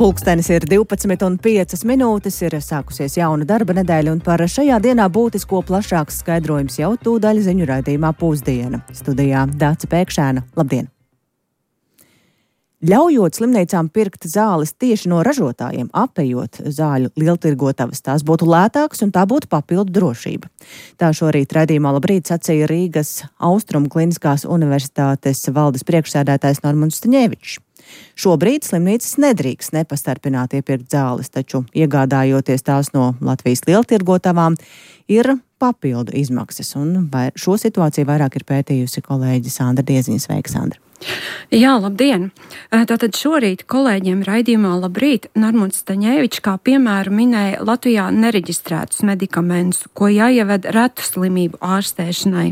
Pulkstenis ir 12:05, ir sākusies jauna darba nedēļa, un par šajā dienā būtisko plašāks skaidrojums jau tūdaļ ziņu raidījumā Pusdiena. Studijā Dāca Pēkšēna. Labdien! Ļaujot slimnīcām pirkt zāles tieši no ražotājiem, apējot zāļu lieltirgotavas, tās būtu lētākas un tā būtu papildu drošība. Tā šorīt raidījumā Labrīt sacīja Rīgas Austrumu Kliniskās universitātes valdes priekšsēdētājs Normunds Staņevičs. Šobrīd slimnīcas nedrīkst nepastarpināt iepirkt zāles, taču iegādājoties tās no Latvijas lieltirgotavām ir papildu izmaksas, un šo situāciju vairāk ir pētījusi kolēģe Sandra Dieziņa. Sveika, Sandra! Jā, labdien! Tātad šorīt kolēģiem raidījumā Labrīt Normunds Staņevičs kā piemēru minēja Latvijā nereģistrētus medikamentus, ko jāieved retu slimību ārstēšanai.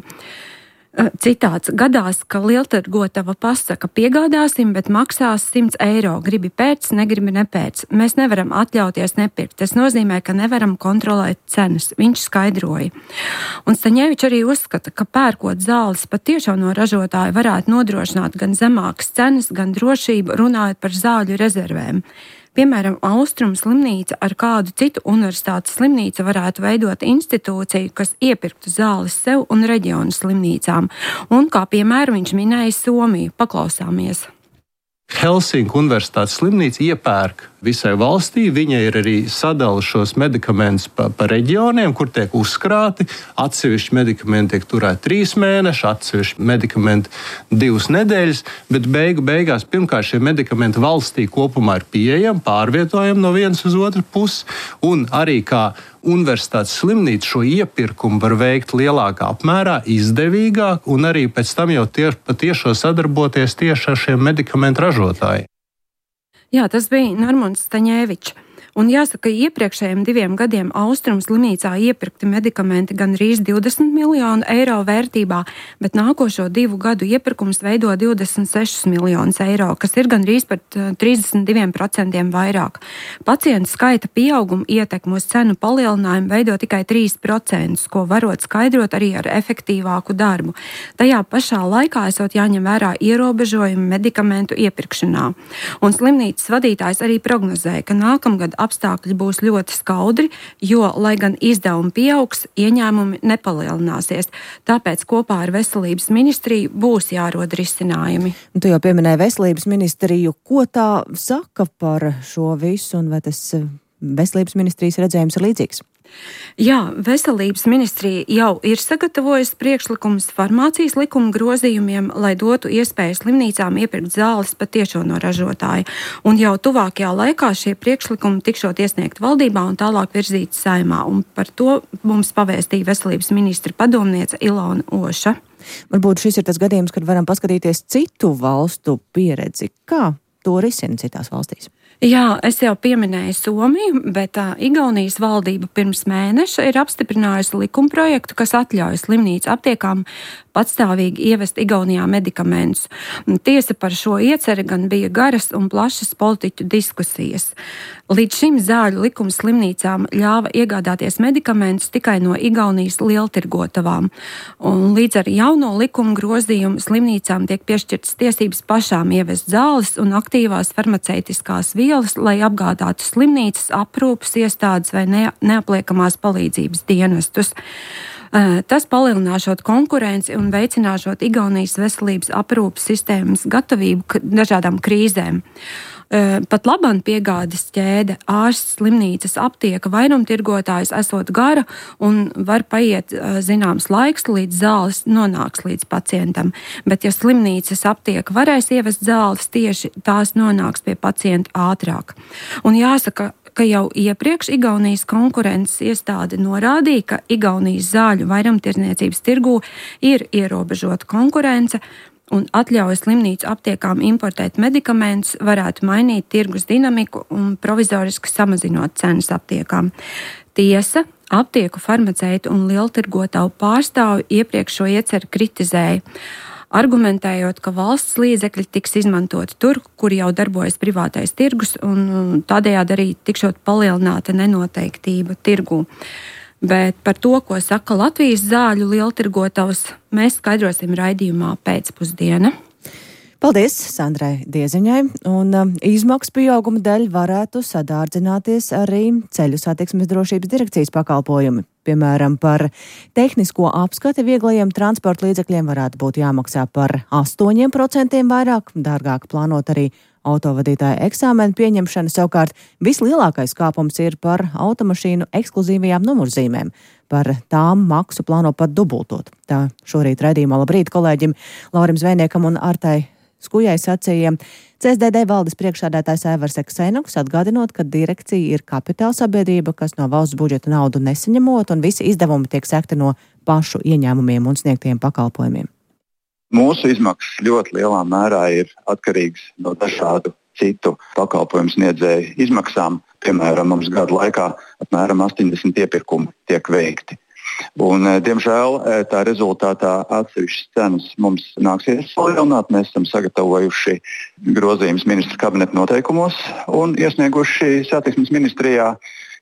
Citāts: gadās, ka lieltirgotava pasaka piegādāsim, bet maksās 100 eiro. Gribi pēc, negribi nepēc. Mēs nevaram atļauties nepirkt. Tas nozīmē, ka nevaram kontrolēt cenas. Viņš skaidroja. Un Staņevičs arī uzskata, ka pērkot zāles patiešām no ražotāja varētu nodrošināt gan zemākas cenas, gan drošību, runājot par zāļu rezervēm. Piemēram, Austrumu slimnīca ar kādu citu universitātes slimnīcu varētu veidot institūciju, kas iepirktu zāles sev un reģionu slimnīcām. Un kā piemēru viņš minēja Somiju. Paklausāmies. Helsinku universitātes slimnīca iepērk visai valstī. Viņa ir arī sadala šos medikamentus pa reģioniem, kur tiek uzkrāti. Atsevišķi medikamenti tiek turēti 3 mēneši, atsevišķi medikamenti 2 nedēļas, bet beigās pirmkārt šie medikamenti valstī kopumā ir pieejami, pārvietojami no vienas uz otru pusi, un arī kā universitātes slimnīca šo iepirkumu var veikt lielākā apmērā, izdevīgāk, un arī pēc tam jau patiešo sadarboties tieši ar šiem medikamentu ražotājiem. Jā, tas bija Normunds Staņevičs. Un jāsaka, iepriekšējiem 2 gadiem Austrumu slimnīcā iepirkti medikamenti gandrīz 20 miljonu eiro vērtībā, bet nākošo 2 gadu iepirkums veido 26 miljonus eiro, kas ir gandrīz par 32% vairāk. Pacientu skaita pieauguma ietekme uz cenu palielinājumu veido tikai 3%, ko varot skaidrot arī ar efektīvāku darbu. Tajā pašā laikā esot jāņem vērā ierobežojumi medikamentu iepirkšanā. Un slimnīcas vadītājs arī prognozēja, ka nākamgad apstākļi būs ļoti skaudri, jo, lai gan izdevumi pieaugs, ieņēmumi nepalielināsies. Tāpēc kopā ar Veselības ministriju būs jārod risinājumi. Tu jau pieminēji Veselības ministriju. Ko tā saka par šo visu, un vai tas Veselības ministrijas redzējums ir līdzīgs? Jā, Veselības ministrija jau ir sagatavojusi priekšlikumus farmācijas likuma grozījumiem, lai dotu iespēju slimnīcām iepirkt zāles patiešo no ražotāja. Un jau tuvākajā laikā šie priekšlikumi tikšot iesniegt valdībā un tālāk virzīt Saeimā. Un par to mums pavēstīja Veselības ministra padomniece Ilona Oša. Varbūt šis ir tas gadījums, kad varam paskatīties citu valstu pieredzi. Kā to risina citās valstīs? Jā, es jau pieminēju Somiju, bet Igaunijas valdība pirms mēneša ir apstiprinājusi likumprojektu, kas atļauj slimnīcu aptiekām patstāvīgi ievest Igaunijā medikamentus. Tiesa par šo ieceri gan bija garas un plašas politiķu diskusijas. Līdz šim zāļu likums slimnīcām ļāva iegādāties medikamentus tikai no Igaunijas lieltirgotavām. Un līdz ar jauno likumu grozījumu slimnīcām tiek piešķirtas tiesības pašām ievest zāles un aktīvās farmaceitiskās vielas, lai apgādātu slimnīcas, aprūpes iestādes vai neapliekamās palīdzības dienestus. Tas palielināšot konkurenci un veicināšot Igaunijas veselības aprūpes sistēmas gatavību dažādām krīzēm. Pat labam piegādes ķēde, ārsts, slimnīcas, aptieka, vairumtirgotājs esot gara un var paiet zināms laiks, līdz zāles nonāks līdz pacientam. Bet ja slimnīcas aptieka varēs ievest zāles, tieši tās nonāks pie pacienta ātrāk. Un jāsaka, ka jau iepriekš Igaunijas konkurences iestāde norādīja, ka Igaunijas zāļu vairumtirdzniecības tirgū ir ierobežota konkurence, un atļauj slimnīcu aptiekām importēt medikamentus varētu mainīt tirgus dinamiku un provizoriski samazinot cenas aptiekām. Tiesa, aptieku farmaceitu un lieltirgotavu pārstāvi iepriekš šo ieceru kritizēja, argumentējot, ka valsts līdzekļi tiks izmantoti tur, kur jau darbojas privātais tirgus, un tādējādi arī tikšot palielināta nenoteiktība tirgū. Bet par to, ko saka Latvijas zāļu lieltirgotavs, mēs skaidrosim raidījumā Pēcpusdiena. Paldies Sandrai Dieziņai, un izmaksu pieauguma dēļ varētu sadārdzināties arī ceļu satiksmes drošības direkcijas pakalpojumi. Piemēram, par tehnisko apskati vieglajiem transporta līdzekļiem varētu būt jāmaksā par 8% vairāk, dārgāk plānot arī autovadītāja eksāmena pieņemšana. Savukārt vislielākais kāpums ir par automašīnu ekskluzīvajām numurzīmēm. Par tām maksu plāno pat dubultot. Tā šorīt raidījumā Labrīt kolēģim Laurim Zvejniekam un Artai Skujai sacīja CSDD valdes priekšsēdētājs Aivars Ksenoks, atgādinot, ka direkcija ir kapitāla sabiedrība, kas no valsts budžeta naudu nesaņemot, un visi izdevumi tiek sekti no pašu ieņēmumiem un sniegtiem pakalpojumiem. Mūsu izmaksas ļoti lielā mērā ir atkarīgas no dažādu citu pakalpojumu sniedzēju izmaksām. Piemēram, mums gadu laikā apmēram 80 iepirkumi tiek veikti. Un, diemžēl tā rezultātā atsevišķas cenas mums nāksies palielināt. Mēs esam sagatavojuši grozījumus ministra kabineta noteikumos un iesnieguši satiksmes ministrijā,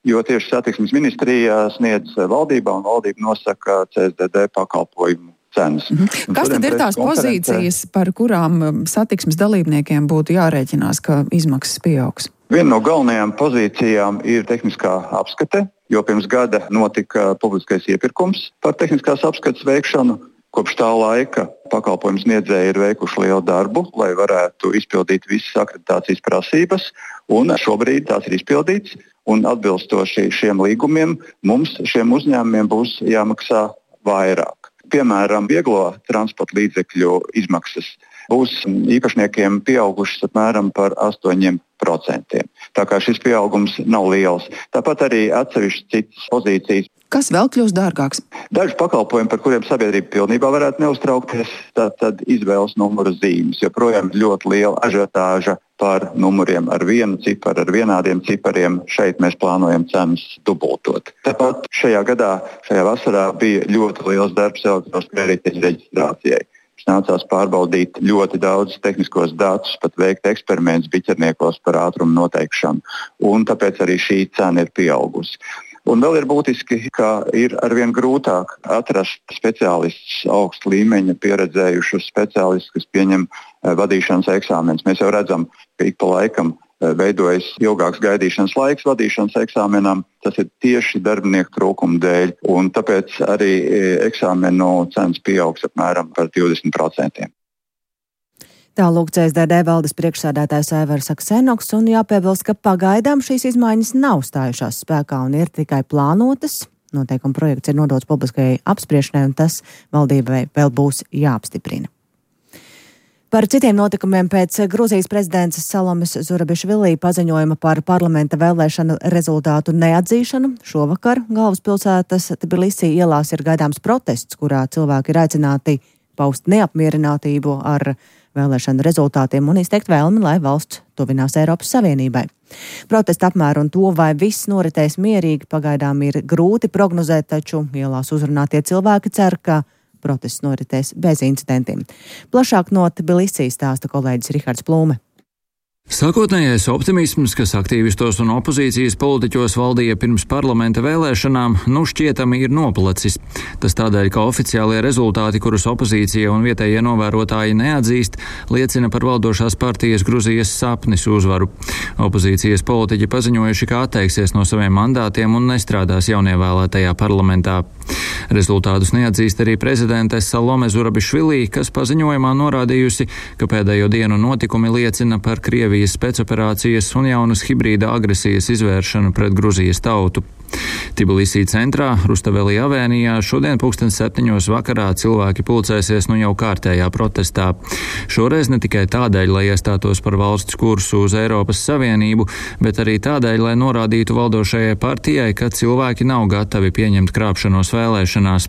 jo tieši satiksmes ministrijā sniedz valdībā un valdība nosaka CSDD pakalpojumu cenas. Kas tad ir tās pozīcijas, par kurām satiksmes dalībniekiem būtu jārēķinās, ka izmaksas pieaugs? Viena no galvenajām pozīcijām ir tehniskā apskate, jo pirms gada notika publiskais iepirkums par tehniskās apskates veikšanu. Kopš tā laika pakalpojumu sniedzēji ir veikuši lielu darbu, lai varētu izpildīt visas akreditācijas prasības, un šobrīd tās ir izpildīts, un atbilstoši šiem līgumiem mums, šiem uzņēmumiem, būs jāmaksā vairāk. Piemēram, vieglo transporta līdzekļu izmaksas būs īpašniekiem pieaugušas apmēram par 8%. Tā kā šis pieaugums nav liels. Tāpat arī atsevišķas citas pozīcijas. Kas vēl kļūst dārgāks? Daži pakalpojumi, par kuriem sabiedrība pilnībā varētu neuztraukties, tad izvēles numura zīmes. Joprojām ļoti liela ažiotāža par numuriem ar vienu ciparu, ar vienādiem cipariem. Šeit mēs plānojam cenas dubultot. Tāpat šajā gadā, šajā vasarā bija ļoti liels darbs elektroniskas kredītļu reģistrācijai. Nācās pārbaudīt ļoti daudz tehniskos datus, pat veikt eksperimentus biķerniekos par ātrumu noteikšanu. Un tāpēc arī šī cena ir pieaugusi. Un vēl ir būtiski, ka ir arvien grūtāk atrast speciālistus, augsta līmeņa pieredzējušus speciālistus, kas pieņem vadīšanas eksāmenus. Mēs jau redzam, ka ik pa laikam veidojas ilgāks gaidīšanas laiks vadīšanas eksāmenam. Tas ir tieši darbinieku trūkuma dēļ, un tāpēc arī eksāmenu cenas pieaugs apmēram par 20%. Tālūk CSDD valdes priekšsēdētājs Aivars Ksenoks, un jāpiebilst, ka pagaidām šīs izmaiņas nav stājušās spēkā un ir tikai plānotas. Noteikuma projekts ir nodots publiskajai apspriešanai, un tas valdībai vēl būs jāapstiprina. Par citiem notikumiem pēc Gruzijas prezidentes Salomes Zurabišvili paziņojuma par parlamenta vēlēšanu rezultātu neatzīšanu šovakar galvaspilsētas Tbilisī ielās ir gaidāms protests, kurā cilvēki ir aicināti paust neapmierinātību ar vēlēšanu rezultātiem un izteikt vēlmi, lai valsts tuvinās Eiropas Savienībai. Protesta apmēru un to, vai viss noritēs mierīgi, pagaidām ir grūti prognozēt, taču ielās uzrunātie cilvēki cer, ka protests noritēs bez incidentiem. Plašāk no Tbilisī stāsta kolēģis Rihards Plūme. Sākotnējais optimisms, kas aktīvistos un opozīcijas politiķos valdīja pirms parlamenta vēlēšanām, šķietami ir nopalacis. Tas tādēļ, ka oficiālie rezultāti, kurus opozīcija un vietējie novērotāji neatzīst, liecina par valdošās partijas Gruzijas sapnis uzvaru. Opozīcijas politiķi paziņojuši, ka atteiksies no saviem mandātiem un nestrādās jaunievēlētajā parlamentā. Rezultātus neatzīst arī prezidente Salome Zurabišvili, kas paziņojumā norādījusi, ka pēdējo dienu notikumi liecina par Krievijas spēcoperācijas un jaunas hibrīda agresijas izvēršanu pret Gruzijas tautu. Tbilisī centrā, Rustavelī avēnijā, šodien 7:00 vakarā cilvēki pulcēsies jau kārtējā protestā. Šoreiz ne tikai tādēļ, lai iestātos par valsts kursu uz Eiropas Savienību, bet arī tādēļ, lai norādītu valdošajai partijai, ka cilvēki nav gatavi pieņemt krāpšanos vēlēšanās.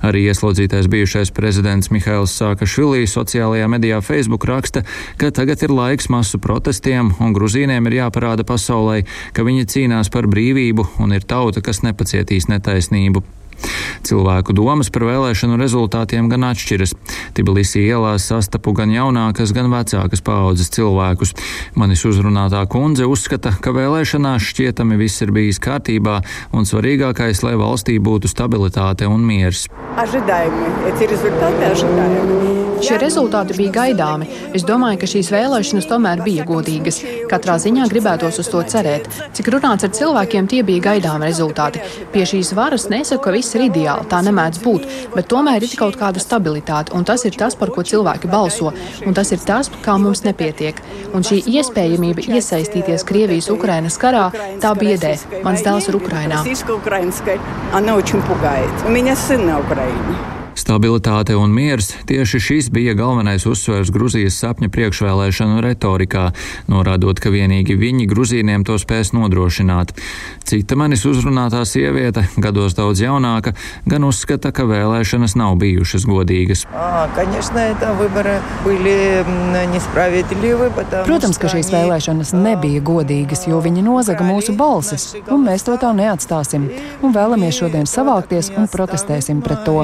Arī ieslodzītais bijušais prezidents Mihails Saakašvili sociālajā medijā Facebook raksta, ka tagad ir laiks masu protestiem un gruzīniem ir jāparāda pasaulē, ka viņi cīnās par brīvību un ir tauta, kas nepacietīs netaisnību. Cilvēku domas par vēlēšanu rezultātiem gan atšķiras. Tbilisī ielās sastapu gan jaunākas, gan vecākas paaudzes cilvēkus. Manis uzrunātā kundze uzskata, ka vēlēšanās šķietami viss ir bijis kārtībā un svarīgākais, lai valstī būtu stabilitāte un miers. Šie rezultāti bija gaidāmi. Es domāju, ka šīs vēlēšanas tomēr bija godīgas. Katrā ziņā gribētos uz to cerēt. Cik runāts ar cilvēkiem, tie bija gaidāmi rezultāti. Pie šīs varas nesaku, ka viss ir ideāli, tā nemēdz būt, bet tomēr ir kaut kāda stabilitāte, un tas ir tas, par ko cilvēki balso, un tas ir tas, kā mums nepietiek. Un šī iespējamība iesaistīties Krievijas-Ukrainas karā, tā biedē. Mans dēls ir Ukrainā. Stabilitāte un miers – tieši šis bija galvenais uzsvers Gruzijas sapņa priekšvēlēšanu retorikā, norādot, ka vienīgi viņi Gruzīniem to spēs nodrošināt. Cita manis uzrunātā sieviete, gados daudz jaunāka, gan uzskata, ka vēlēšanas nav bijušas godīgas. Protams, ka šīs vēlēšanas nebija godīgas, jo viņi nozaga mūsu balsis, un mēs to tā neatstāsim, un vēlamies šodien savākties un protestēsim pret to.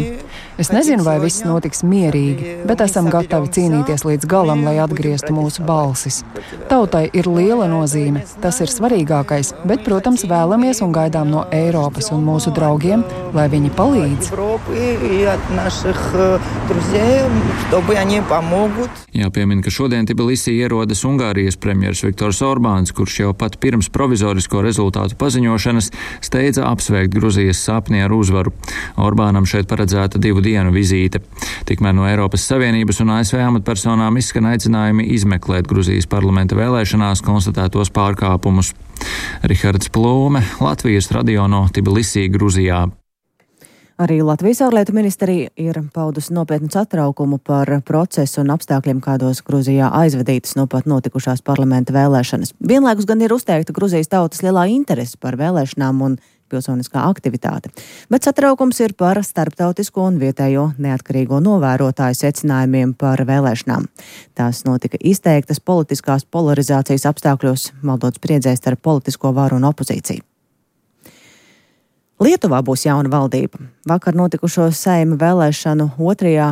Es nezinu, vai viss notiks mierīgi, bet esam gatavi cīnīties līdz galam, lai atgrieztu mūsu balsis. Tautai ir liela nozīme, tas ir svarīgākais, bet, protams, vēlamies un gaidām no Eiropas un mūsu draugiem, lai viņi palīdz. Jāpiemina, ka šodien Tbilisī ierodas Ungārijas premjers Viktors Orbāns, kurš jau pat pirms provizorisko rezultātu paziņošanas steidza apsveikt Gruzijas sapni ar uzvaru. Orbānam šeit paredzēta 2 dienu vizīte. Tikmēr no Eiropas Savienības un ASV amatpersonām izskan aicinājumi izmeklēt Gruzijas parlamenta vēlēšanās konstatētos pārkāpumus. Rihards Plūme, Latvijas radio no Tbilisī, Gruzijā. Arī Latvijas ārlietu ministrija ir paudusi nopietnu satraukumu par procesu un apstākļiem, kādos Gruzijā aizvadītas no pat notikušās parlamenta vēlēšanas. Vienlaikus gan ir uzteikta Gruzijas tautas lielā interese par vēlēšanām un pilsoniskā aktivitāte. Bet satraukums ir par starptautisko un vietējo neatkarīgo novērotāju secinājumiem par vēlēšanām. Tās notika izteiktas politiskās polarizācijas apstākļos, maldot spriedzē starp politisko varu un opozīciju. Lietuvā būs jauna valdība. Vakar notikušo Saeima vēlēšanu 2.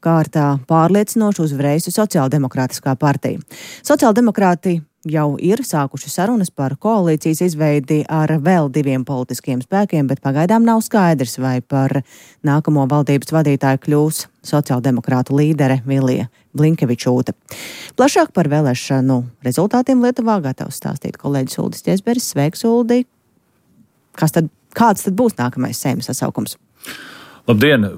kārtā pārliecinoši uzvarējusi Sociāldemokrātiskā partija. Sociāldemokrāti jau ir sākuši sarunas par koalīcijas izveidi ar vēl 2 politiskiem spēkiem, bet pagaidām nav skaidrs, vai par nākamo valdības vadītāju kļūs sociāldemokrātu līdere Vilija Blinkevičūte. Plašāk par vēlēšanu rezultātiem Lietuvā gatavs stāstīt kolēģis Uldis Ķesberis. Sveiks, Uldi! Kāds tad būs nākamais Saeimas sasaukums? Labdien!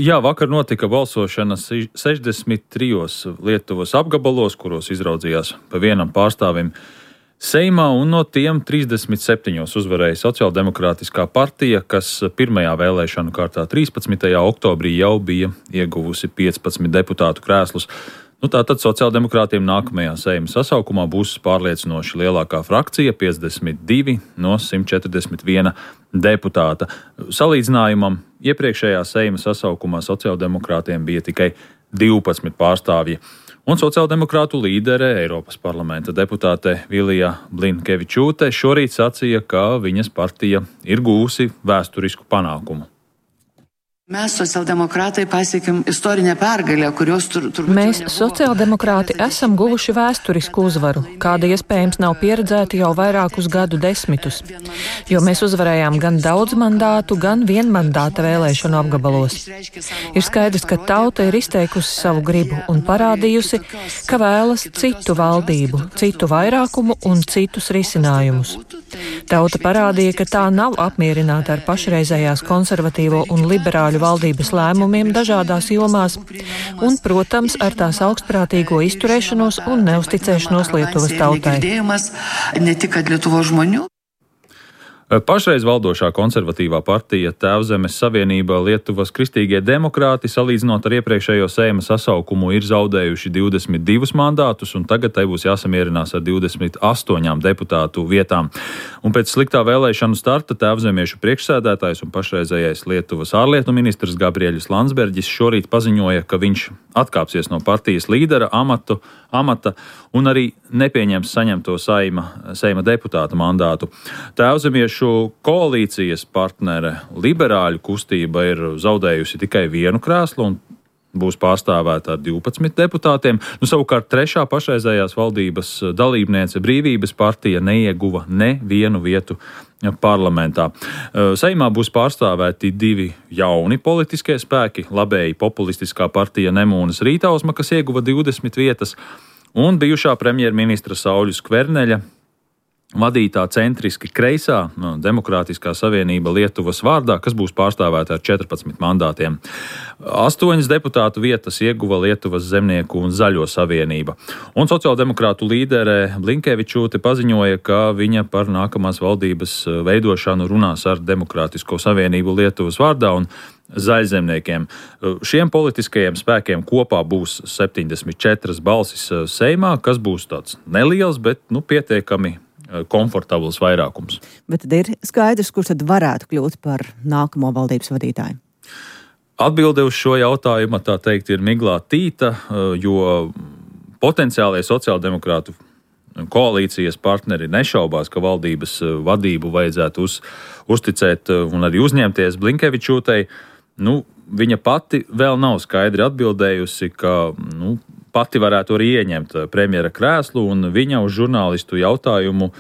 Jā, vakar notika balsošana 63 Lietuvas apgabalos, kuros izraudzījās pa vienam pārstāvim Seimā, un no tiem 37 uzvarēja Sociāldemokrātiskā partija, kas pirmajā vēlēšanu kārtā 13. oktobrī jau bija ieguvusi 15 deputātu krēslus. Tātad sociāldemokrātiem nākamajā Seimas sasaukumā būs pārliecinoši lielākā frakcija, 52 no 141 deputāta. Salīdzinājumam, iepriekšējā Seimas sasaukumā sociāldemokrātiem bija tikai 12 pārstāvji. Un sociāldemokrātu līdere, Eiropas parlamenta deputāte Vilija Blinkevičūte šorīt sacīja, ka viņas partija ir gūsi vēsturisku panākumu. Mēs, sociāldemokrāti, pasiekam istorinę pergalę, kurios Mēs, sociāldemokrāti, esam guvuši vēsturisku uzvaru, kāda iespējams nav pieredzēta jau vairākus gadu desmitus, jo mēs uzvarējām gan daudz mandātu, gan vienmandāta vēlēšanu apgabalos. Ir skaidrs, ka tauta ir izteikusi savu gribu un parādījusi, ka vēlas citu valdību, citu vairākumu un citus risinājumus. Tauta parādīja, ka tā nav apmierināta ar pašreizējās konservatīvo un liberāļu valdības lēmumiem dažādās jomās un, protams, ar tās augstprātīgo izturēšanos un neusticēšanos Lietuvas tautai. Pašreiz valdošā konservatīvā partija Tēvzemes Savienība Lietuvas kristīgie demokrāti, salīdzinot ar iepriekšējo Seimas sasaukumu, ir zaudējuši 22 mandātus, un tagad tai būs jāsamierinās ar 28 deputātu vietām. Un pēc sliktā vēlēšanu starta Tēvzemiešu priekšsēdētājs un pašreizējais Lietuvas ārlietu ministrs Gabriēļs Landsbergis šorīt paziņoja, ka viņš atkāpsies no partijas līdera amata un arī nepieņems saņemto Seima deputāta mandātu. Tēvzemiešu koalīcijas partnere liberāļu kustība ir zaudējusi tikai 1 krēslu un būs pārstāvēta ar 12 deputātiem. Savukārt trešā pašreizējās valdības dalībniece Brīvības partija neieguva nevienu vietu parlamentā. Saeimā būs pārstāvēti 2 jauni politiskie spēki, labēji populistiskā partija Nemūnas Rītausma, kas ieguva 20 vietas, un bijušā premjerministra Sauļa Skverneļa vadītā centriski kreisā Demokrātiskā savienība Lietuvas vārdā, kas būs pārstāvēta ar 14 mandātiem. 8 deputātu vietas ieguva Lietuvas zemnieku un zaļo savienība. Un sociāldemokrātu līdere Blinkevičūte paziņoja, ka viņa par nākamās valdības veidošanu runās ar Demokrātisko savienību Lietuvas vārdā un zaļzemniekiem. Šiem politiskajiem spēkiem kopā būs 74 balsis Seimā, kas būs tāds neliels, bet pietiekami komfortabls vairākums. Bet tad ir skaidrs, kurš tad varētu kļūt par nākamo valdības vadītāju? Atbilde uz šo jautājumu, tā teikt, ir miglātīta, jo potenciālie sociāldemokrātu koalīcijas partneri nešaubās, ka valdības vadību vajadzētu uzticēt un arī uzņemties Blinkevičūtei. Viņa pati vēl nav skaidri atbildējusi, ka pati varētu arī ieņemt premjera krēslu, un viņa uz žurnālistu jautājumu,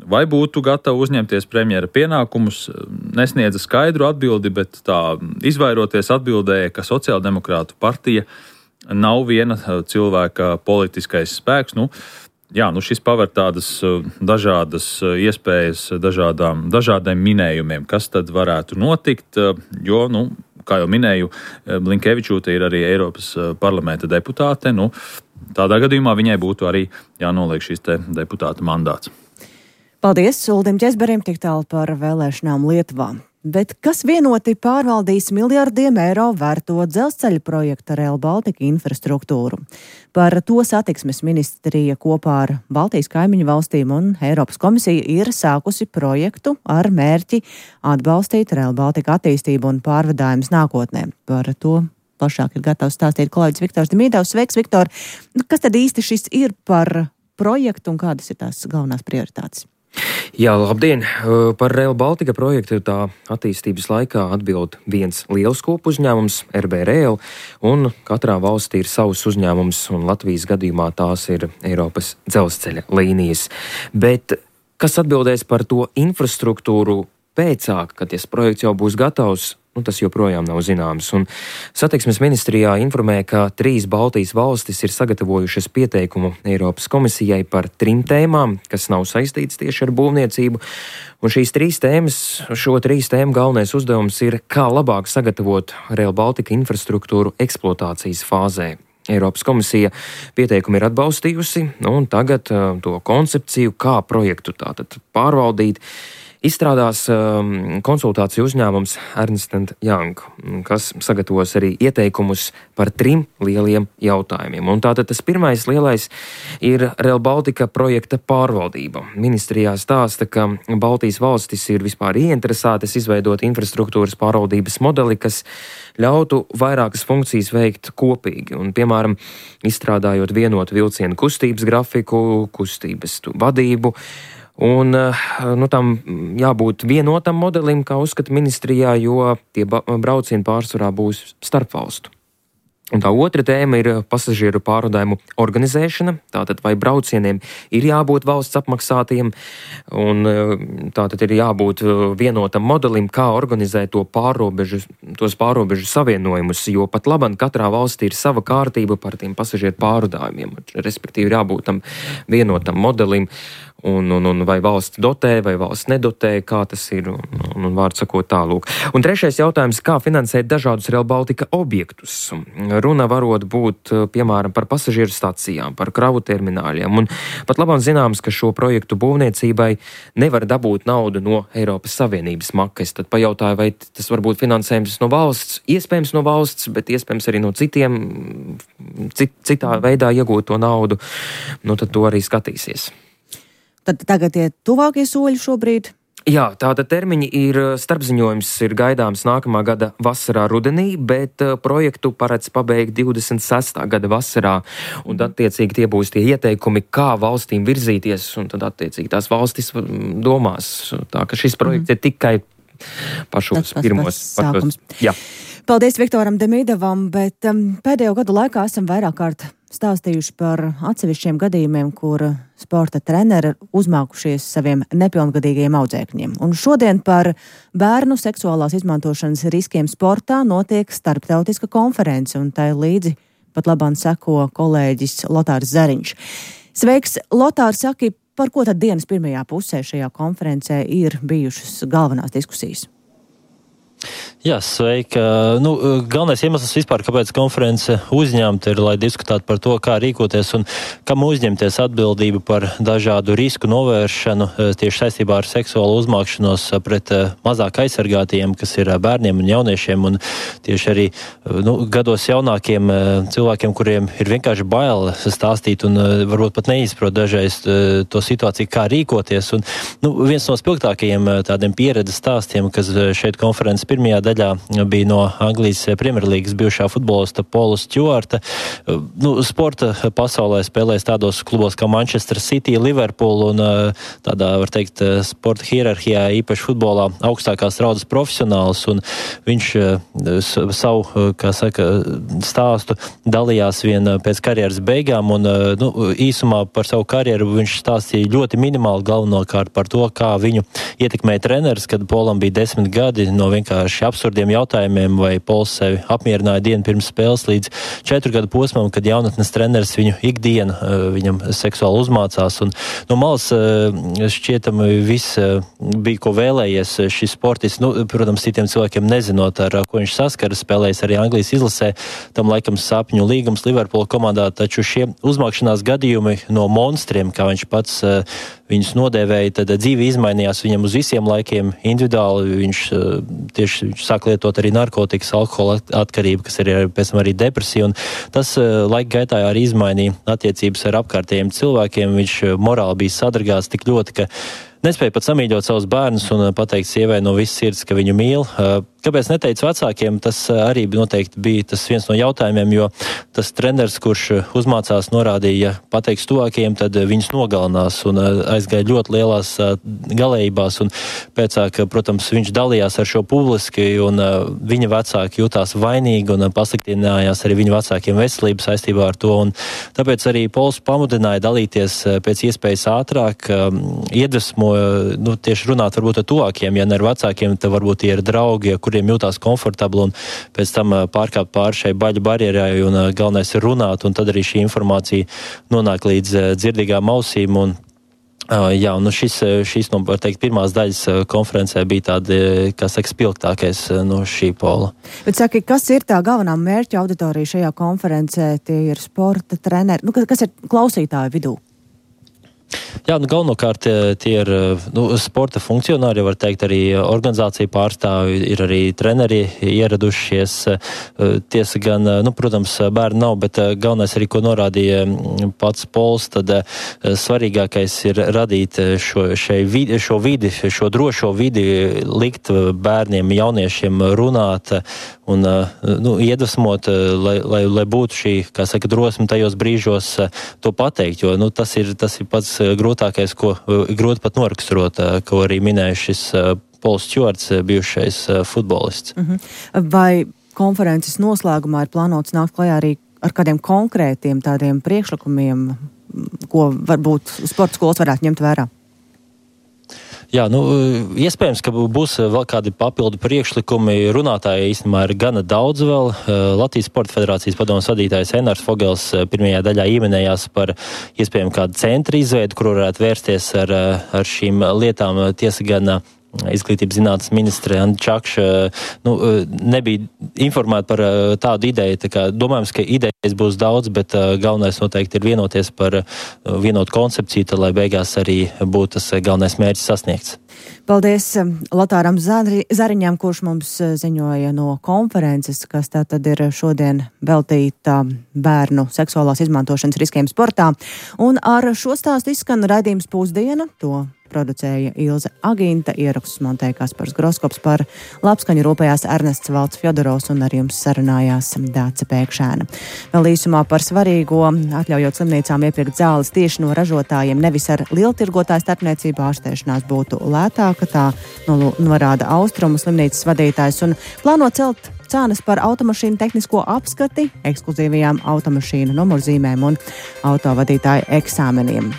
vai būtu gatava uzņemties premjera pienākumus, nesniedza skaidru atbildi, bet tā izvairoties atbildēja, ka sociāldemokrātu partija nav viena cilvēka politiskais spēks. Šis paver tādas dažādas iespējas dažādiem minējumiem, kas tad varētu notikt, jo, kā jau minēju, Blinkevičūte ir arī Eiropas parlamenta deputāte. Tādā gadījumā viņai būtu arī jānoliek šis deputāta mandāts. Paldies Uldim Ķezberim tik tālu par vēlēšanām Lietuvā. Bet kas vienoti pārvaldīs miljardiem eiro vērto dzelzceļa projektu Rail Baltica infrastruktūru? Par to satiksmes ministrija kopā ar Baltijas kaimiņu valstīm un Eiropas komisija ir sākusi projektu ar mērķi atbalstīt Rail Baltica attīstību un pārvadājumus nākotnē. Par to plašāk ir gatavs stāstīt kolēģis Viktors Demīdovs. Sveiks, Viktor! Kas tad īsti šis ir par projektu un kādas ir tās galvenās prioritātes? Jā, labdien! Par Rail Baltica projektu tā attīstības laikā atbild viens liels kopu uzņēmums, RB Rail, un katrā valstī ir savs uzņēmums, un Latvijas gadījumā tās ir Eiropas dzelzceļa līnijas. Bet kas atbildēs par to infrastruktūru pēcāk, kad tas projekts jau būs gatavs? Tas joprojām nav zināms. Un satiksmes ministrijā informē, ka 3 Baltijas valstis ir sagatavojušas pieteikumu Eiropas komisijai par 3 tēmām, kas nav saistītas tieši ar būvniecību. Un šo 3 tēmu galvenais uzdevums ir, kā labāk sagatavot Rail Baltica infrastruktūru eksploatācijas fāzē. Eiropas komisija pieteikumu ir atbalstījusi, un tagad to koncepciju, kā projektu tātad pārvaldīt, izstrādās konsultāciju uzņēmums Ernst & Young, kas sagatavos arī ieteikumus par 3 lieliem jautājumiem. Un tātad tas pirmais lielais ir Rail Baltica projekta pārvaldība. Ministrijā stāsta, ka Baltijas valstis ir vispār ieinteresētas izveidot infrastruktūras pārvaldības modeli, kas ļautu vairākas funkcijas veikt kopīgi. Un, piemēram, izstrādājot vienotu vilcienu kustības grafiku, kustības vadību, un tam jābūt vienotam modelim, kā uzskata ministrijā, jo tie braucieni pārsvarā būs starpvalstu. Un tā otra tēma ir pasažieru pārvadājumu organizēšana. Tātad vai braucieniem ir jābūt valsts apmaksātiem, un tātad ir jābūt vienotam modelim, kā organizēt tos pārrobežu savienojumus, jo pat labam katrā valstī ir sava kārtība par tiem pasažieru pārvadājumiem. Respektīvi ir jābūt tam vienotam modelim, un vai valsts dotē, vai valsts nedotē, kā tas ir, un vārdu sakot tālūk. Un trešais jautājums, kā finansēt dažādus Rail Baltica objektus. Runa varot būt, piemēram, par pasažieru stacijām, par kravu termināļiem, un pat labāk zināms, ka šo projektu būvniecībai nevar dabūt naudu no Eiropas Savienības makas. Tad pajautāju, vai tas var būt finansējums no valsts, iespējams no valsts, bet iespējams arī no citiem, citā veidā iegūt to naudu, tad to arī skatīsies. Tad tagad tie tuvākie soļi šobrīd? Jā, tātad termiņi ir, starpziņojums ir gaidāms nākamā gada vasarā rudenī, bet projektu paredz pabeigt 26. gada vasarā, un attiecīgi tie būs tie ieteikumi, kā valstīm virzīties, un tad attiecīgi tās valstis domās. Tā ka šis projekts ir tikai pašos pirmos. Jā. Paldies Viktoram Demīdovam, bet pēdējo gadu laikā esam vairāk kārt stāstījuši par atsevišķiem gadījumiem, kur sporta treneri uzmākušies saviem nepilngadīgajiem audzēkņiem. Un šodien par bērnu seksuālās izmantošanas riskiem sportā notiek starptautiska konference, un tai līdzi pat labāk seko kolēģis Lotārs Zariņš. Sveiks, Lotār, saki, par ko tad dienas pirmajā pusē šajā konferencē ir bijušas galvenās diskusijas? Jā, sveika. Galvenais iemesls vispār, kāpēc konference uzņemta ir, lai diskutētu par to, kā rīkoties un kam uzņemties atbildību par dažādu risku novēršanu tieši saistībā ar seksuālu uzmākšanos pret mazāk aizsargātiem, kas ir bērniem un jauniešiem, un tieši arī gados jaunākiem cilvēkiem, kuriem ir vienkārši bail stāstīt un varbūt pat neizprot dažreiz to situāciju, kā rīkoties. Un, viens no spilgtākajiem tādiem pieredzes stāstiem, kas šeit konferences pirmajā daļā bija no Anglijas Premjerlīgas bijušā futbolista Paula Stewarta. Sporta pasaulē spēlēs tādos klubos kā Manchester City, Liverpool un tādā, var teikt, sporta hierarhijā, īpaši futbolā, augstākās raudas profesionāls, un viņš savu, stāstu dalījās vien pēc karjeras beigām, un īsumā par savu karjeru viņš stāstīja ļoti minimāli, galvenokārt par to, kā viņu ietekmēja treneris, kad Paulam bija 10 gadi, no vienkārši absurdiem jautājumiem, vai Pauls sevi apmierināja dienu pirms spēles līdz 4 gadu posmam, kad jaunatnes treneris viņu ikdienu viņam seksuāli uzmācās. Un no malas šķietami viss bija, ko vēlējies šis sportists. Protams, citiem cilvēkiem nezinot, ar ko viņš saskaras, spēlējis arī Anglijas izlasē, tam laikam sapņu līgums Liverpool komandā, taču šie uzmākšanās gadījumi no monstriem, kā viņš pats viņus nodēvēja, tad dzīve izmainījās viņam uz visiem laikiem individuāli. Viņš tieši sāk lietot arī narkotikas, alkohola atkarību, kas ir pēc tam arī depresija, un tas laika gaitā arī izmainīja attiecības ar apkārtējiem cilvēkiem. Viņš morāli bija sadragāts tik ļoti, ka nespēja pat samīļot savus bērnus un pateikt sievai no visas sirds, ka viņu mīl. Kāpēc neteica vecākiem, tas arī noteikti bija tas viens no jautājumiem, jo tas treneris, kurš uzmācās, norādīja, ja pateiks tuvākajiem, tad viņus nogalinās un aizgāja ļoti lielās galējībās. Un pēcāk, protams, viņš dalījās ar šo publiski, un viņa vecāki jutās vainīgi un pasliktinājās arī viņa vecākiem veselību saistībā ar to. Un tāpēc arī Pauls pamudināja dalīties pēc iespējas ātrāk, iedvesmoja, tieši runāt varbūt ar tuvākiem, ja ne ar vecākiem, tad varbūt tie ir draugi, kuriem jūtās komfortabli, un pēc tam pārkāpt pāri šai baļu barjerai, un galvenais ir runāt, un tad arī šī informācija nonāk līdz dzirdīgām ausīm. Un šis no, var teikt, pirmās daļas konferencē bija tāda, spilgtākais no šī pola. Bet saki, kas ir tā galvenā mērķa auditorija šajā konferencē? Tie ir sporta treneri, kas ir klausītāju vidū? Jā, galvenokārt tie ir sporta funkcionāri, var teikt, arī organizācija pārstāvi, ir arī treneri ieradušies. Tiesa gan, protams, bērni nav, bet galvenais arī, ko norādīja pats Pauls, tad svarīgākais ir radīt šo drošo vidi, likt bērniem, jauniešiem runāt un iedvesmot, lai būtu šī, drosme tajos brīžos to pateikt, jo tas ir pats grūtākais, ko grūti pat noraksturot, ko arī minēja šis Pauls Stewarts, bijušais futbolists. Vai konferences noslēgumā ir plānots nākt klajā arī ar kādiem konkrētiem tādiem priekšlikumiem, ko varbūt sporta skolas varētu ņemt vērā? Jā, iespējams, ka būs vēl kādi papildu priekšlikumi. Runātāji īstenībā ir gana daudz vēl. Latvijas Sporta federācijas padomes vadītājs Enārs Fogels pirmajā daļā ieminējās par iespējami kādu centru izveidu, kur varētu vērsties ar šīm lietām. Tiesa gan Izglītības zinātnes ministre Anda Čakša nebija informēta par tādu ideju. Tā kā domājams, ka idejas būs daudz, bet galvenais noteikti ir vienoties par vienotu koncepciju, tad, lai beigās arī būtu tas galvenais mērķis sasniegts. Paldies Lotāram Zariņam, kurš mums ziņoja no konferences, kas tātad ir šodien veltīta bērnu seksuālās izmantošanas riskiem sportā. Un ar šo stāstu izskan raidījums Pusdiena. To producēja Ilze Agīnta, ierakstus montēja Kaspars Groskops, par labskaņu rūpējās Ernests Valds Fjodorovs un ar jums sarunājās Dāce Pēkšēna. Vēl īsumā par svarīgo, atļaujot slimnīcām iepirkt zāles tieši no ražotājiem, nevis ar lieltirgotāju starpniecību, ārstēšanās būtu lētāka, tā norāda Austrumu slimnīcas vadītājs, un plāno celt cenas par automašīnu tehnisko apskati, ekskluzīvajām automašīnu numurzīmēm un autovadītāju eksāmeniem.